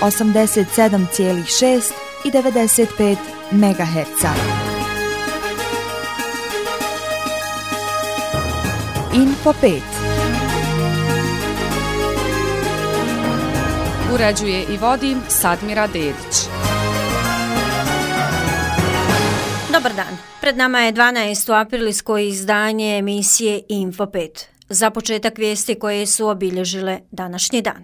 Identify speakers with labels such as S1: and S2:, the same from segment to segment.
S1: 87,6 i 95 MHz. Info 5.
S2: Uređuje i vodi Sadmira Dedić.
S3: Dobar dan. Pred nama je 12. aprilsko izdanje emisije Info 5. Za početak vijesti koje su obilježile današnji dan.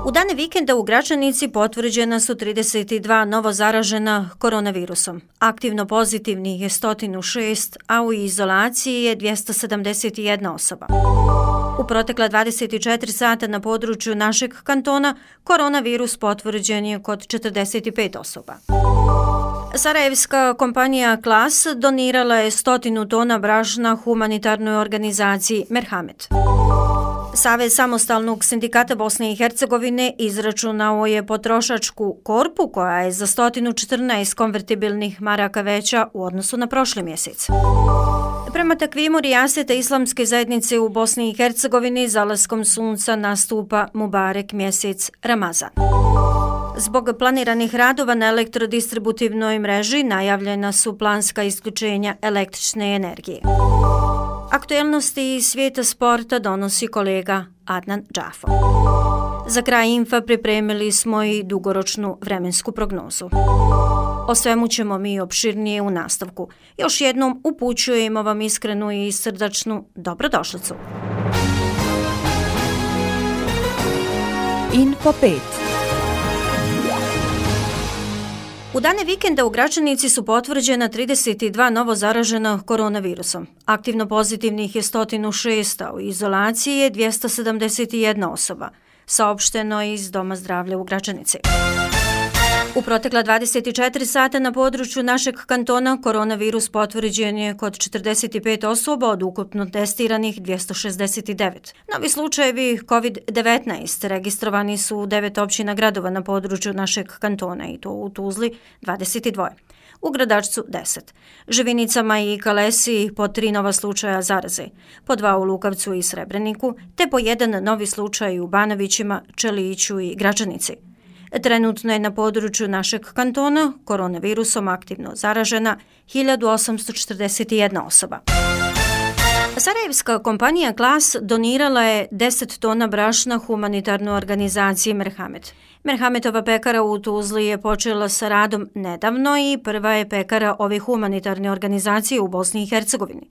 S3: U dane vikenda u Gračanici potvrđena su 32 novo zaražena koronavirusom. Aktivno pozitivnih je 106, a u izolaciji je 271 osoba. U protekla 24 sata na području našeg kantona koronavirus potvrđen je kod 45 osoba. Sarajevska kompanija Klas donirala je 100 tona brašna humanitarnoj organizaciji Merhamet. Savez samostalnog sindikata Bosne i Hercegovine izračunao je potrošačku korpu koja je za 114 konvertibilnih maraka veća u odnosu na prošli mjesec. Prema takvimu rijaseta islamske zajednice u Bosni i Hercegovini zalaskom sunca nastupa Mubarek mjesec Ramazan. Zbog planiranih radova na elektrodistributivnoj mreži najavljena su planska isključenja električne energije. Aktuelnosti iz svijeta sporta donosi kolega Adnan Džafo. Za kraj infa pripremili smo i dugoročnu vremensku prognozu. O svemu ćemo mi opširnije u nastavku. Još jednom upućujemo vam iskrenu i srdačnu dobrodošlicu.
S1: Info 5.
S3: U dane vikenda u Gračanici su potvrđena 32 novo zaražena koronavirusom. Aktivno pozitivnih je 106, a u izolaciji je 271 osoba, saopšteno iz Doma zdravlja u Gračanici. U protekla 24 sata na području našeg kantona koronavirus potvrđen je kod 45 osoba od ukupno testiranih 269. Novi slučajevi COVID-19 registrovani su u 9 općina gradova na području našeg kantona i to u Tuzli 22. U Gradačcu 10, Živinicama i Kalesi po 3 nova slučaja zaraze, po 2 u Lukavcu i Srebreniku, te po 1 novi slučaj u Banovićima, Čeliću i Gračanici. Trenutno je na području našeg kantona koronavirusom aktivno zaražena 1841 osoba. Sarajevska kompanija Klas donirala je 10 tona brašna humanitarnoj organizaciji Merhamet. Merhametova pekara u Tuzli je počela sa radom nedavno i prva je pekara ove humanitarne organizacije u Bosni i Hercegovini.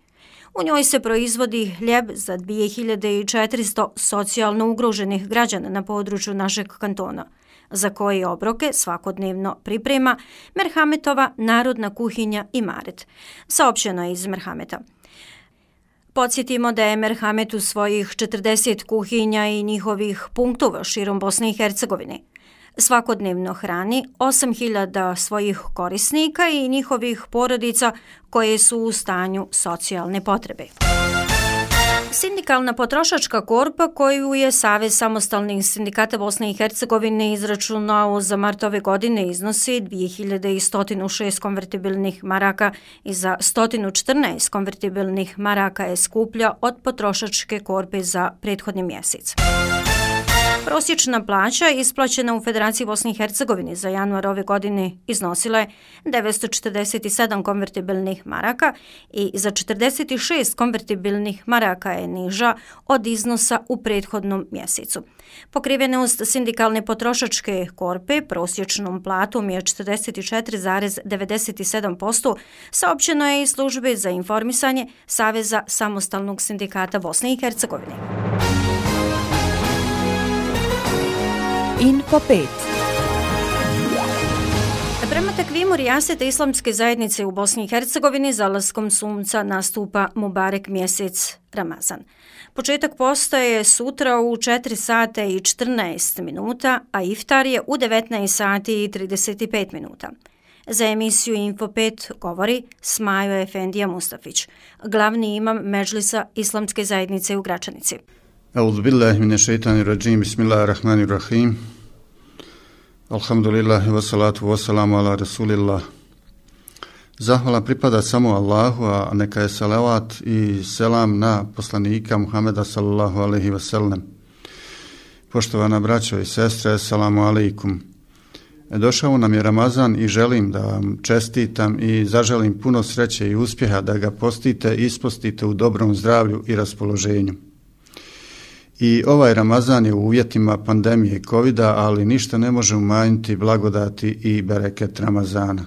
S3: U njoj se proizvodi hljeb za 2400 socijalno ugroženih građana na području našeg kantona, za koje obroke svakodnevno priprema Merhametova narodna kuhinja Imaret, saopšteno je iz Merhameta. Podsjetimo da je Merhamet u svojih 40 kuhinja i njihovih punktova širom Bosne i Hercegovine svakodnevno hrani 8000 svojih korisnika i njihovih porodica koje su u stanju socijalne potrebe. Sindikalna potrošačka korpa koju je Savez samostalnih sindikata Bosne i Hercegovine izračunao za mart ove godine iznosi 2106 konvertibilnih maraka i za 114 konvertibilnih maraka je skuplja od potrošačke korpe za prethodni mjesec. Prosječna plaća isplaćena u Federaciji Bosne i Hercegovine za januar ove godine iznosila je 947 konvertibilnih maraka i za 46 konvertibilnih maraka je niža od iznosa u prethodnom mjesecu. Pokrivenost sindikalne potrošačke korpe prosječnom platom je 44,97%, saopćeno je iz službe za informisanje Saveza samostalnog sindikata Bosne i Hercegovine.
S1: Info 5.
S3: Prema takvimu rijaseta islamske zajednice u Bosni i Hercegovini zalaskom sunca nastupa Mubarek mjesec Ramazan. Početak posta je sutra u 4 sata i 14 minuta, a iftar je u 19 sati i 35 minuta. Za emisiju Info 5 govori Smajo Efendija Mustafić, glavni imam Medžlisa islamske zajednice u Gračanici.
S4: A'udhu billahi minesh-shaytanir-rajim. Bismillahir-rahmanir-rahim. Alhamdulillah wa salatu wa salamu ala rasulillah. Zahvala pripada samo Allahu, a neka je salavat i selam na poslanika Muhameda sallallahu alejhi ve sellem. Poštovana braćo i sestre, assalamu alaikum. Došao nam je Ramazan i želim da vam čestitam i zaželim puno sreće i uspjeha da ga postite i ispostite u dobrom zdravlju i raspoloženju. I ovaj Ramazan je u uvjetima pandemije covida, ali ništa ne može umanjiti blagodati i bereket Ramazana.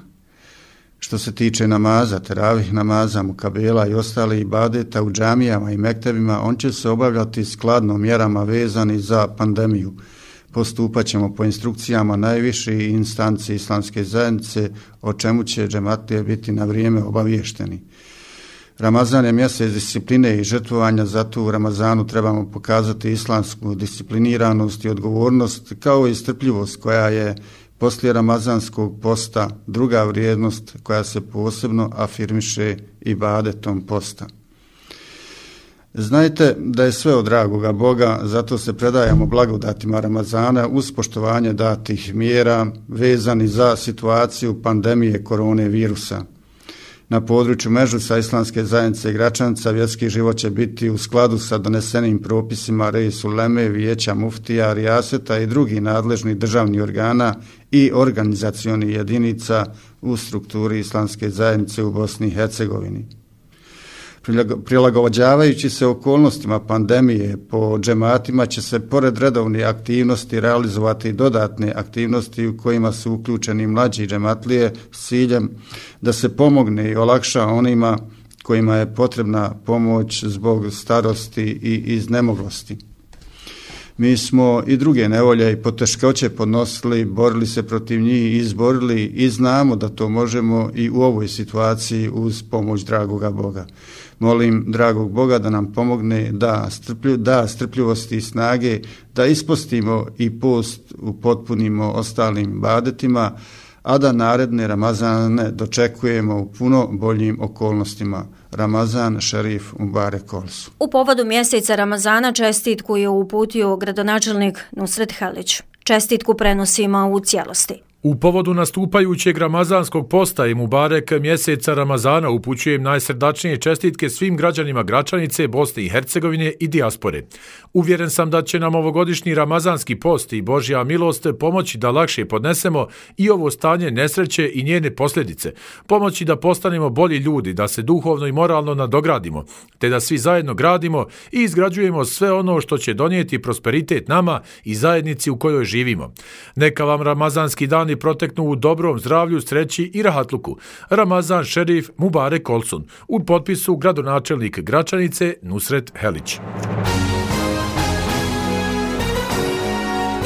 S4: Što se tiče namaza, teravih namaza, mukabela i ostali ibadeta u džamijama i mektebima, on će se obavljati skladno mjerama vezani za pandemiju. Postupat ćemo po instrukcijama najviših instanci islamske zajednice, o čemu će džematlije biti na vrijeme obaviješteni. Ramazan je mjesec discipline i žrtvovanja, zato u Ramazanu trebamo pokazati islamsku discipliniranost i odgovornost, kao i strpljivost koja je poslije ramazanskog posta druga vrijednost koja se posebno afirmiše ibadetom posta. Znajte da je sve od dragoga Boga, zato se predajamo blagodatima Ramazana uz poštovanje datih mjera vezani za situaciju pandemije korone virusa. Na području Mežusa islamske zajednice Gračanica vjerski život će biti u skladu sa donesenim propisima Reis Uleme, Vijeća Muftija, Rijaseta i drugih nadležnih državnih organa i organizacionih jedinica u strukturi islamske zajednice u Bosni i Hercegovini. Prilagođavajući se okolnostima pandemije, po džematima će se pored redovnih aktivnosti realizovati dodatne aktivnosti u kojima su uključeni mlađi džematlije s ciljem da se pomogne i olakša onima kojima je potrebna pomoć zbog starosti i iznemoglosti. Mi smo i druge nevolje i poteškoće podnosili, borili se protiv njih i izborili i znamo da to možemo i u ovoj situaciji uz pomoć dragoga Boga. Molim dragog Boga da nam pomogne da strpljivosti i snage, da ispostimo i post upotpunimo ostalim ibadetima, a da naredne Ramazane dočekujemo u puno boljim okolnostima. Ramazan šerif Mubarek Olsu.
S3: U povodu mjeseca Ramazana čestitku je uputio gradonačelnik Nusret Helić. Čestitku prenosimo u cijelosti.
S5: U povodu nastupajućeg ramazanskog posta i Mubarek mjeseca Ramazana upućujem najsrdačnije čestitke svim građanima Gračanice, Bosne i Hercegovine i dijaspore. Uvjeren sam da će nam ovogodišnji ramazanski post i Božja milost pomoći da lakše podnesemo i ovo stanje nesreće i njene posljedice, pomoći da postanemo bolji ljudi, da se duhovno i moralno nadogradimo, te da svi zajedno gradimo i izgrađujemo sve ono što će donijeti prosperitet nama i zajednici u kojoj živimo. Neka vam ramazanski dan proteknu u dobrom zdravlju, sreći i rahatluku. Ramazan šerif Mubarek Olsun. U potpisu gradonačelnik Gračanice Nusret Helić.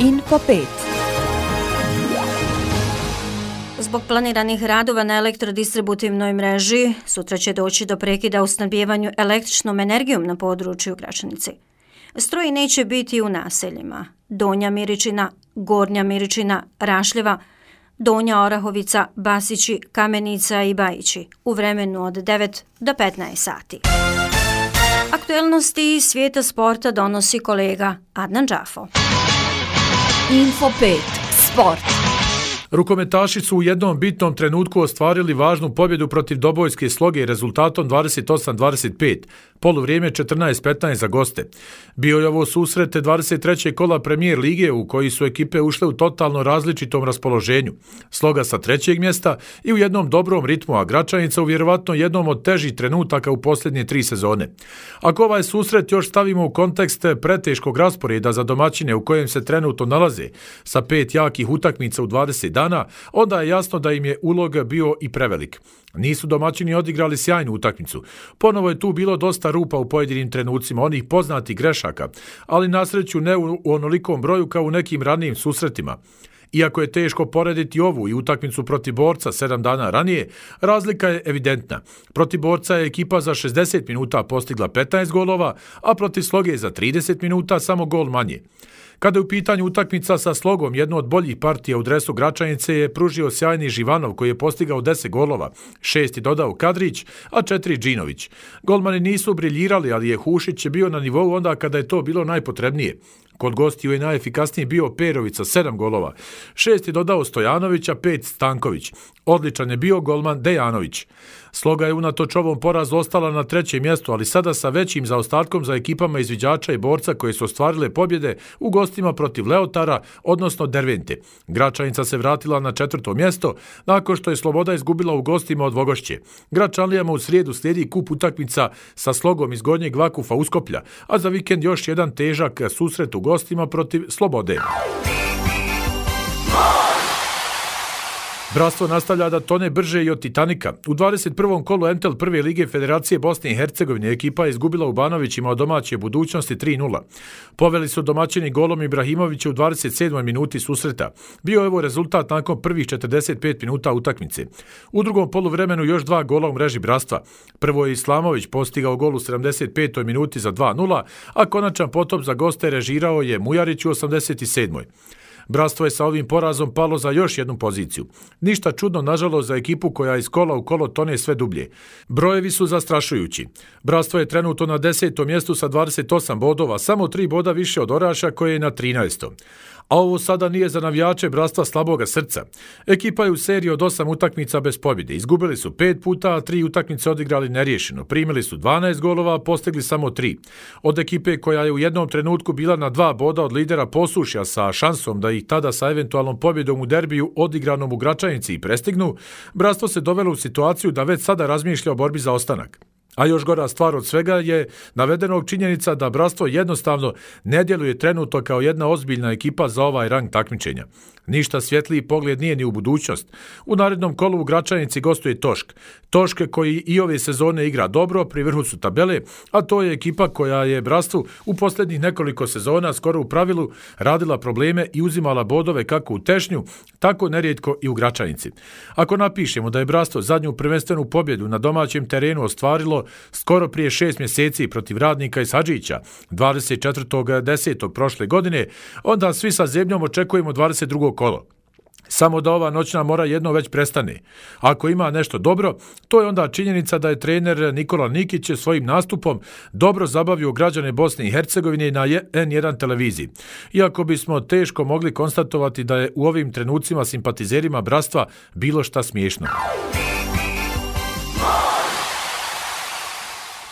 S1: Info 5.
S3: Zbog planiranih radova na elektrodistributivnoj mreži, sutra će doći do prekida u snabdijevanju električnom energijom na području Gračanice. Struje neće biti u naseljima Donja Miričina, Gornja Miričina, Rašljeva, Donja Orahovica, Basići, Kamenica i Bajići u vremenu od 9 do 15 sati. Aktuelnosti iz svijeta sporta donosi kolega Adnan Džafo.
S1: Info 5. Sport.
S5: Rukometaši su u jednom bitnom trenutku ostvarili važnu pobjedu protiv Dobojske Sloge rezultatom 28-25, poluvrijeme 14-15 za goste. Bio je ovo susret 23. kola Premijer lige u koji su ekipe ušle u totalno različitom raspoloženju. Sloga sa 3. mjesta i u jednom dobrom ritmu, a Gračanica u vjerovatno jednom od težih trenutaka u posljednje 3 sezone. Ako ovaj susret još stavimo u kontekst preteškog rasporeda za domaćine u kojem se trenutno nalaze, sa 5 jakih utakmica u 20 dana, onda je jasno da im je ulog bio i prevelik. Nisu domaćini odigrali sjajnu utakmicu. Ponovo je tu bilo dosta rupa u pojedinim trenucima, onih poznatih grešaka, ali na sreću ne u onolikom broju kao u nekim ranijim susretima. Iako je teško porediti ovu i utakmicu protiv Borca 7 dana ranije, razlika je evidentna. Protiv Borca je ekipa za 60 minuta postigla 15 golova, a protiv Sloge za 30 minuta samo gol manje. Kada je u pitanju utakmica sa Slogom, jednu od boljih partija u dresu Gračanice je pružio sjajni Živanov koji je postigao 10 golova, 6 je dodao Kadrić, a 4 Džinović. Golmani nisu briljirali, ali je Hušić bio na nivou onda kada je to bilo najpotrebnije. Kod gostiju je najefikasniji bio Perović sa 7 golova, 6 je dodao Stojanović, a 5 Stanković. Odličan je bio golman Dejanović. Sloga je unatoč ovom porazu ostala na 3. mjestu, ali sada sa većim zaostatkom za ekipama izviđača i borca koje su ostvarile pobjede u gostima protiv Leotara, odnosno Dervente. Gračanica se vratila na 4. mjesto nakon što je Sloboda izgubila u gostima od Vogošće. Gračanlijama u srijedu slijedi kup utakmica sa Slogom iz Gornjeg Vakufa Uskoplja, a za vikend još jedan težak susret u gostima protiv Slobode. Bratstvo nastavlja da tone brže i od Titanika. U 21. kolu Entel prve lige Federacije Bosne i Hercegovine ekipa je izgubila u Banovićima od domaće budućnosti 3:0. Poveli su domaćini golom Ibrahimovića u 27. minuti susreta. Bio je ovo rezultat nakon prvih 45 minuta utakmice. U drugom poluvremenu još 2 gola u mreži bratstva. Prvo je Islamović postigao gol u 75. minuti za 2:0, a konačan potop za goste režirao je Mujarić u 87. Bratstvo je sa ovim porazom palo za još jednu poziciju. Ništa čudno, nažalost, za ekipu koja iz kola u kolo tone sve dublje. Brojevi su zastrašujući. Bratstvo je trenutno na 10. mjestu sa 28 bodova, samo 3 boda više od Oraša koje je na 13. A ovo sada nije za navijače bratstva slaboga srca. Ekipa je u seriji od 8 utakmica bez pobjede. Izgubili su 5 puta, a 3 utakmice odigrali neriješeno. Primili su 12 golova, a postigli samo 3. Od ekipe koja je u jednom trenutku bila na 2 boda od lidera Posušja sa šansom da ih tada sa eventualnom pobjedom u derbiju odigranom u Gračanici i prestignu, bratstvo se dovelo u situaciju da već sada razmišlja o borbi za ostanak. A još gora stvar od svega je navedenog činjenica da bratstvo jednostavno ne djeluje trenutno kao jedna ozbiljna ekipa za ovaj rang takmičenja. Ništa svjetliji pogled nije ni u budućnost. U narednom kolu u Gračanici gostuje Tošk. Tošk koji i ove sezone igra dobro, pri vrhu su tabele, a to je ekipa koja je bratstvu u posljednjih nekoliko sezona skoro u pravilu radila probleme i uzimala bodove kako u Tešnju, tako nerijetko i u Gračanici. Ako napišemo da je bratstvo zadnju prvenstvenu pobjedu na domaćem terenu ostvarilo skoro prije 6 mjeseci protiv Radnika iz Hadžića, 24.10. prošle godine, onda svi sa zebnjom očekujemo 22. kolo. Samo da ova noćna mora jedno već prestane. Ako ima nešto dobro, to je onda činjenica da je trener Nikola Nikić svojim nastupom dobro zabavio građane Bosne i Hercegovine na N1 televiziji. Iako bismo teško mogli konstatovati da je u ovim trenucima simpatizerima bratstva bilo šta smiješno.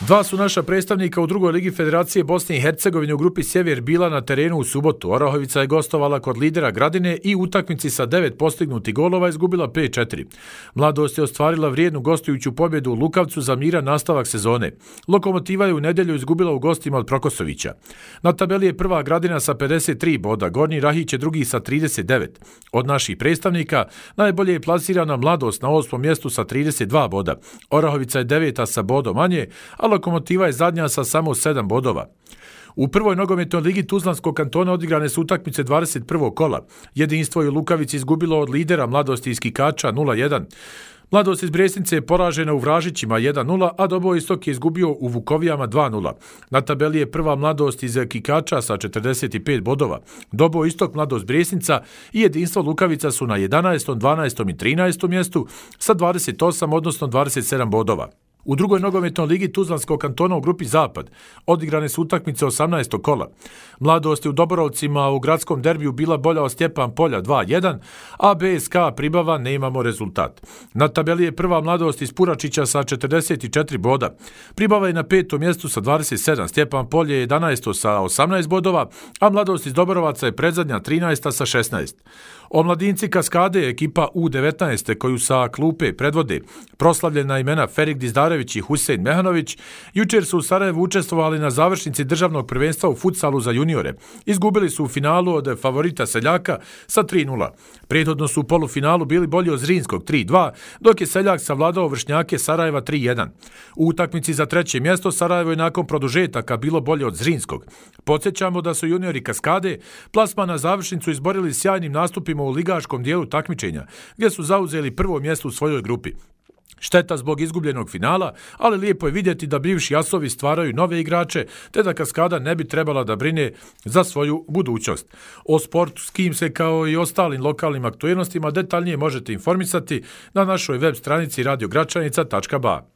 S5: Dva su naša predstavnika u drugoj ligi Federacije Bosne i Hercegovine u grupi Sjever bila na terenu u subotu. Orahovica je gostovala kod lidera Gradine i u utakmici sa 9 postignutih golova izgubila 5:4. Mladost je ostvarila vrijednu gostujuću pobjedu u Lukavcu za miran nastavak sezone. Lokomotiva je u nedjelju izgubila u gostima od Prokosovića. Na tabeli je prva Gradina sa 53 boda, Gornji Rahić je drugi sa 39. Od naših predstavnika najbolje je plasirana Mladost na 8. mjestu sa 32 boda. Orahovica je 9. sa bodom manje, a Lokomotiva je zadnja sa samo 7 bodova. U prvoj nogometnoj ligi Tuzlanskog kantona odigrane su utakmice 21. kola. Jedinstvo je u Lukavici izgubilo od lidera Mladosti iz Kikača 0:1. Mladost iz Bresnice je poražena u Vražićima 1:0, a Doboj Istok je izgubio u Vukovijama 2:0. Na tabeli je prva Mladost iz Kikača sa 45 bodova. Doboj Istok, Mladost Bresnica i Jedinstvo Lukavica su na 11., 12. i 13. mjestu sa 28, odnosno 27 bodova. U drugoj nogometnoj ligi Tuzlanskog kantona u grupi Zapad odigrane su utakmice 18. kola. Mladost je u Doborovcima u gradskom derbiju bila bolja od Stjepan Polja 2:1, a BSK Pribava nemamo rezultat. Na tabeli je prva Mladost iz Puračića sa 44 boda. Pribava je na 5. mjestu sa 27, Stjepan Polje je 11. sa 18 bodova, a Mladost iz Doborovaca je predzadnja 13. sa 16. Omladinci Kaskade, ekipa U19 koju sa klupe predvode proslavljena imena Ferik Dizdarević i Husein Mehanović, jučer su u Sarajevu učestvovali na završnici državnog prvenstva u futsalu za juniore. Izgubili su u finalu od favorita Seljaka sa 3:0. Prethodno su u polufinalu bili bolji od Zrinskog 3:2, dok je Seljak savladao vršnjake Sarajeva 3:1. U utakmici za 3. mjesto Sarajevo je nakon produžetaka bilo bolje od Zrinskog. Podsjećamo da su juniori Kaskade plasman na završnicu izborili sjajnim nastupima u ligaškom dijelu takmičenja, gdje su zauzeli prvo mjesto u svojoj grupi. Šteta zbog izgubljenog finala, ali lijepo je vidjeti da bivši asovi stvaraju nove igrače, te da Kaskada ne bi trebala da brine za svoju budućnost. O sportskim se kao i ostalim lokalnim aktualnostima detaljnije možete informisati na našoj web stranici radiogračanica.ba.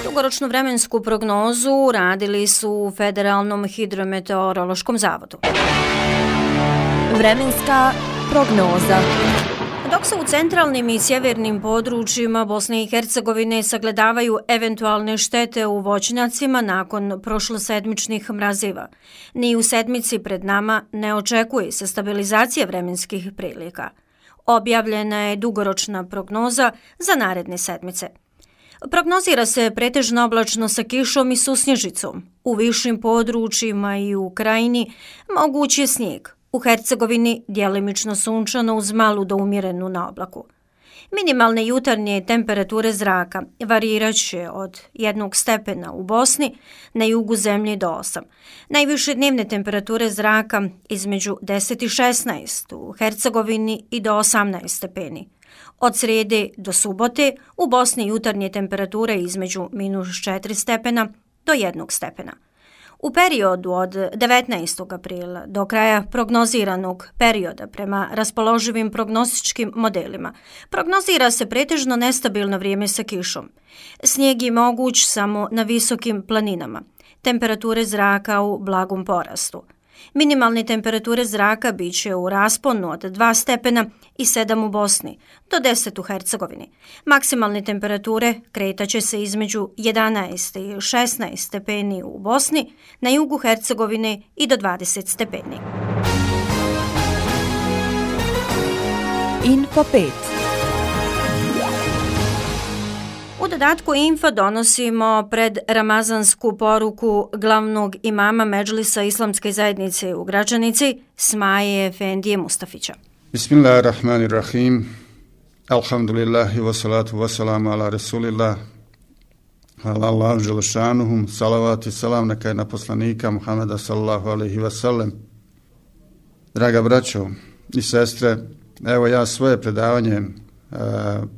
S3: Dugoročnu vremensku prognozu radili su u Federalnom hidrometeorološkom zavodu.
S1: Vremenska prognoza.
S3: Dok se u centralnim i sjevernim područjima Bosne i Hercegovine sagledavaju eventualne štete u voćnjacima nakon prošlosedmičnih mraziva, ni u sedmici pred nama ne očekuje se stabilizacija vremenskih prilika. Objavljena je dugoročna prognoza za naredne sedmice. Prognozira se pretežno oblačno sa kišom i susnježicom. U višim područjima i u krajini moguć je snijeg. U Hercegovini djelimično sunčano uz malu do umjerenu na oblaku. Minimalne jutarnje temperature zraka variraće od 1 stepena u Bosni, na jugu zemlje do 8. Najviše dnevne temperature zraka između 10 i 16 u Hercegovini i do 18 stepeni. Od srijede do subote u Bosni jutarnje temperature između -4 stepena do 1 stepena. U periodu od 19. aprila do kraja prognoziranog perioda prema raspoloživim prognostičkim modelima prognozira se pretežno nestabilno vrijeme sa kišom. Snijeg je moguć samo na visokim planinama. Temperature zraka u blagom porastu. Minimalne temperature zraka bit će u rasponu od 2 stepena i 7 u Bosni do 10 u Hercegovini. Maksimalne temperature kretaće se između 11 i 16 stepeni u Bosni, na jugu Hercegovine i do 20 stepeni.
S1: Info 5.
S3: U dodatku Info donosimo pred ramazansku poruku glavnog imama Medžlisa Islamske zajednice u Gračanici, Smaje Efendije Mustafića.
S4: Bismillahirrahmanirrahim. Alhamdulillahi wassalatu wassalamu ala rasulillah. Hvala Allahu dželešanuhu. Salavat i salam neka je na poslanika Muhameda sallallahu alaihi wasallam. Draga braćo i sestre, evo ja svoje predavanje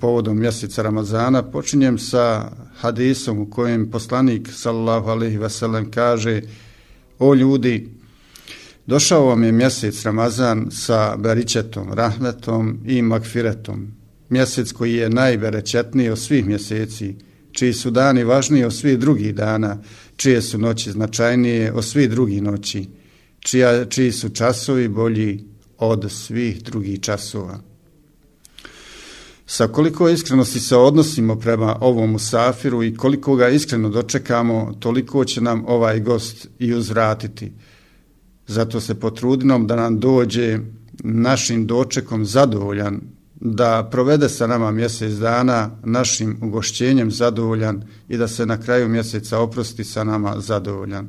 S4: povodom mjeseca Ramazana počinjem sa hadisom u kojem poslanik sallallahu alejhi ve sellem kaže: o ljudi, došao vam je mjesec Ramazan sa beričetom, rahmetom i magfiretom, mjesec koji je najberečetniji od svih mjeseci, čiji su dani važniji od svih drugih dana, čije su noći značajnije od svih drugih noći, čiji su časovi bolji od svih drugih časova. Sa koliko iskrenosti se odnosimo prema ovom musafiru i koliko ga iskreno dočekamo, toliko će nam ovaj gost i uzvratiti. Zato se potrudimo da nam dođe našim dočekom zadovoljan, da provede sa nama mjesec dana našim ugošćenjem zadovoljan i da se na kraju mjeseca oprosti sa nama zadovoljan.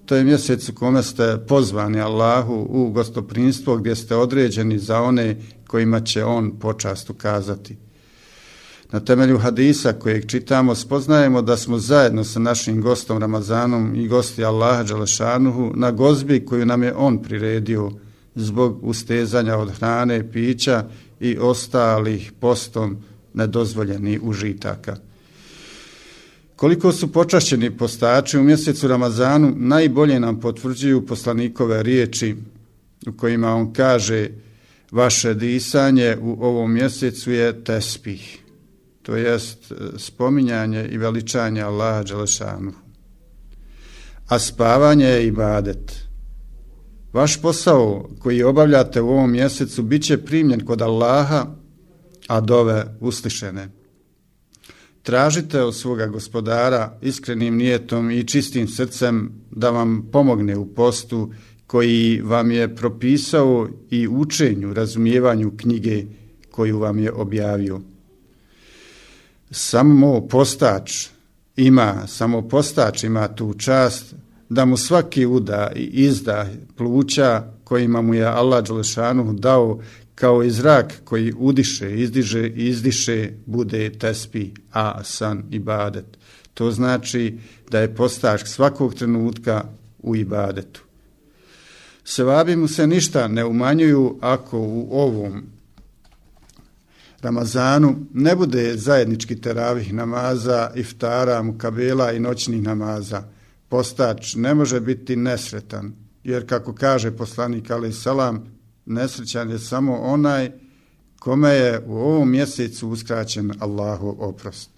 S4: To je mjesec u kome ste pozvani Allahu u gostoprinstvo gdje ste određeni za one kojima će on počast ukazati. Na temelju hadisa kojeg čitamo spoznajemo da smo zajedno sa našim gostom Ramazanom i gosti Allaha dželešanuhu na gozbi koju nam je on priredio zbog ustezanja od hrane, pića i ostalih postom nedozvoljenih užitaka. Koliko su počašćeni postači u mjesecu Ramazanu najbolje nam potvrđuju poslanikove riječi u kojima on kaže: vaše disanje u ovom mjesecu je tespih, to jest spominjanje i veličanje Allaha dželešanuhu, a spavanje je ibadet. Vaš posao koji obavljate u ovom mjesecu bit će primljen kod Allaha, a dove uslišene. Tražite od svoga gospodara iskrenim nijetom i čistim srcem da vam pomogne u postu koji vam je propisao i učenju, razumijevanju knjige koju vam je objavio. Samo postač ima tu čast da mu svaki udah i izdah pluća kojima mu je Allah dželešanuhu dao kao i zrak koji udiše, izdiže i izdiše bude tespi, a san ibadet. To znači da je postač svakog trenutka u ibadetu. Sevabi mu se ništa ne umanjuju ako u ovom Ramazanu ne bude zajednički teravih namaza, iftara, mukabela i noćnih namaza. Postač ne može biti nesretan, jer kako kaže poslanik alejhi selam, nesrećan je samo onaj kome je u ovom mjesecu uskraćen Allahov oprost.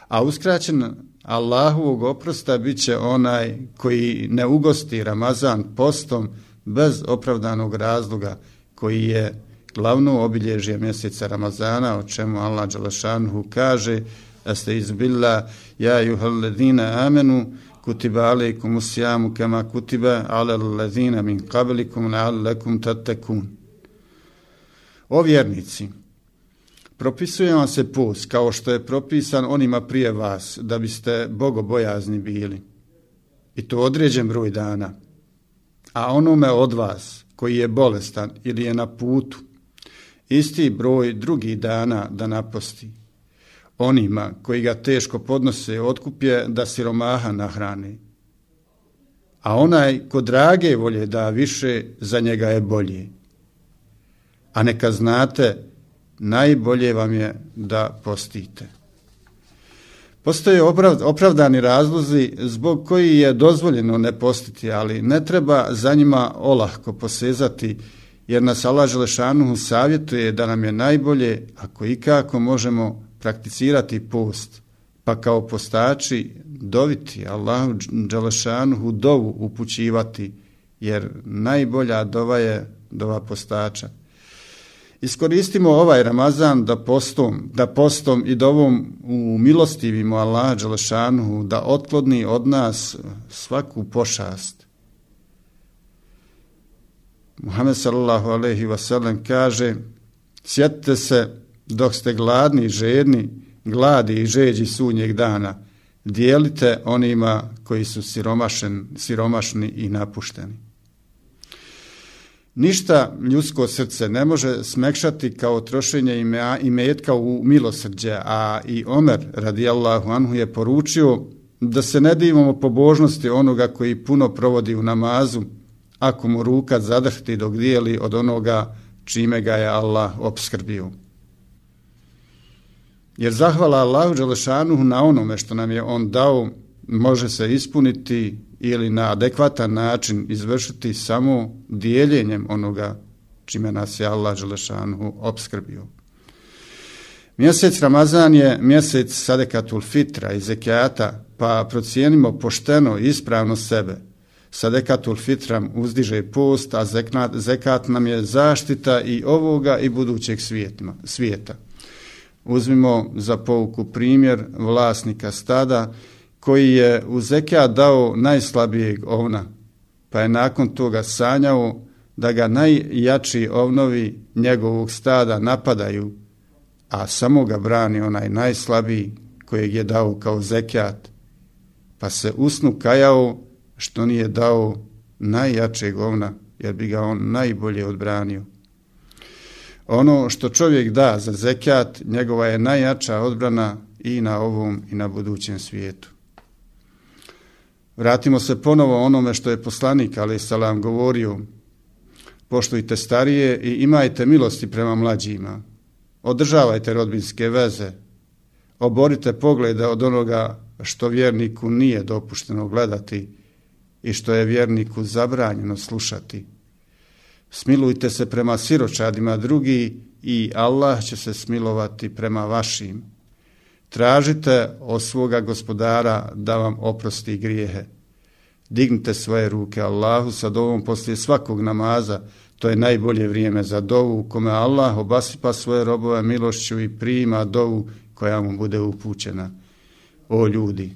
S4: A uskraćen Allahovog oprosta bit će onaj koji ne ugosti Ramazan postom bez opravdanog razloga koji je glavno obilježje mjeseca Ramazana, o čemu Allah dželešanuhu kaže: Estaizubillah, ja ejuhalladina amenu, kutiba alejkumus sijamu kema kutiba alal ladzina min qablikum la'allakum tattaqun. O vjernici, propisuje vam se post kao što je propisan onima prije vas, da biste bogobojazni bili, i to određen broj dana. A onome od vas koji je bolestan ili je na putu, isti broj drugih dana da naposti. Onima koji ga teško podnose otkup je da siromaha nahrani. A onaj ko drage volje da više, za njega je bolje. A neka znate, najbolje vam je da postite. Postoje opravdani razlozi zbog koji je dozvoljeno ne postiti, ali ne treba za njima olahko posezati, jer nas Allah dželešanuhu savjetuje da nam je najbolje, ako ikako možemo, prakticirati post, pa kao postači doviti Allahu dželešanuhu dovu upućivati, jer najbolja dova je dova postača. Iskoristimo ovaj Ramazan da postom i dovom umilostivimo Allaha dželešanuhu da otkloni od nas svaku pošast. Muhammed sallallahu alejhi ve sellem kaže: sjetite se dok ste gladni i žedni, gladi i žeđi sudnjeg dana, dijelite onima koji su siromašni i napušteni. Ništa ljudsko srce ne može smekšati kao trošenje imetka u milosrđe, a i Omer radijallahu anhu je poručio da se ne divimo pobožnosti onoga koji puno provodi u namazu, ako mu ruka zadrhti dok dijeli od onoga čime ga je Allah opskrbio. Jer zahvala Allahu dželešanuhu na onome što nam je on dao može se ispuniti ili na adekvatan način izvršiti samo dijeljenjem onoga čime nas je Allah dželešanuhu opskrbio. Mjesec Ramazan je mjesec sadekatul fitra i zekijata, pa procijenimo pošteno i ispravno sebe. Sadekatul fitram uzdiže post, a zekat nam je zaštita i ovoga i budućeg svijeta. Uzmimo za pouku primjer vlasnika stada koji je u zekijat dao najslabijeg ovna, pa je nakon toga sanjao da ga najjači ovnovi njegovog stada napadaju, a samo ga brani onaj najslabiji kojeg je dao kao zekijat, pa se u snu kajao što nije dao najjačeg ovna, jer bi ga on najbolje odbranio. Ono što čovjek da za zekijat, njegova je najjača odbrana i na ovom i na budućem svijetu. Vratimo se ponovo onome što je poslanik alejhi selam govorio: poštujte starije i imajte milosti prema mlađima, održavajte rodbinske veze, oborite poglede od onoga što vjerniku nije dopušteno gledati i što je vjerniku zabranjeno slušati. Smilujte se prema siročadima drugi i Allah će se smilovati prema vašim. Tražite od svoga gospodara da vam oprosti grijehe. Dignite svoje ruke Allahu sa dovom poslije svakog namaza, to je najbolje vrijeme za dovu, kome Allah obasipa svoje robove milošću i prima dovu koja mu bude upućena. O ljudi,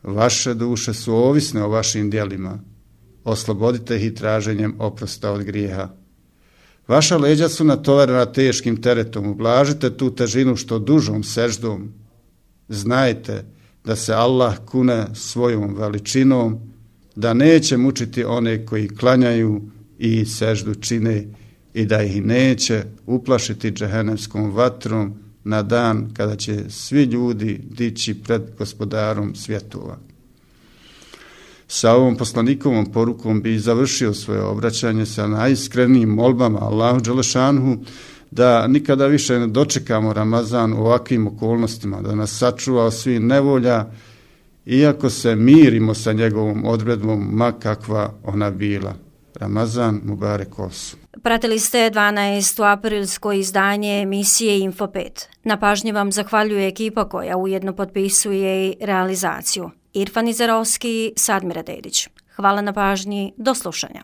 S4: vaše duše su ovisne o vašim djelima. Oslobodite ih traženjem oprosta od grijeha. Vaša leđa su natovarena teškim teretom, ublažite tu težinu što dužom seždom. Znajte da se Allah kune svojom veličinom, da neće mučiti one koji klanjaju i seždu čine i da ih neće uplašiti džehennemskom vatrom na dan kada će svi ljudi dići pred gospodarom svjetova. Sa ovom poslanikovom porukom bi završio svoje obraćanje sa najiskrenijim molbama Allahu dželešanuhu da nikada više ne dočekamo Ramazan u ovakvim okolnostima, da nas sačuva od svih nevolja, iako se mirimo sa njegovom odredbom, ma kakva ona bila. Ramazan Mubarek Osu.
S3: Pratili ste 12. aprilsko izdanje emisije Info 5. Na pažnji vam zahvaljuje ekipa koja ujedno potpisuje i realizaciju. Irfan Izerovski, Sadmira Dedić. Hvala na pažnji, do slušanja.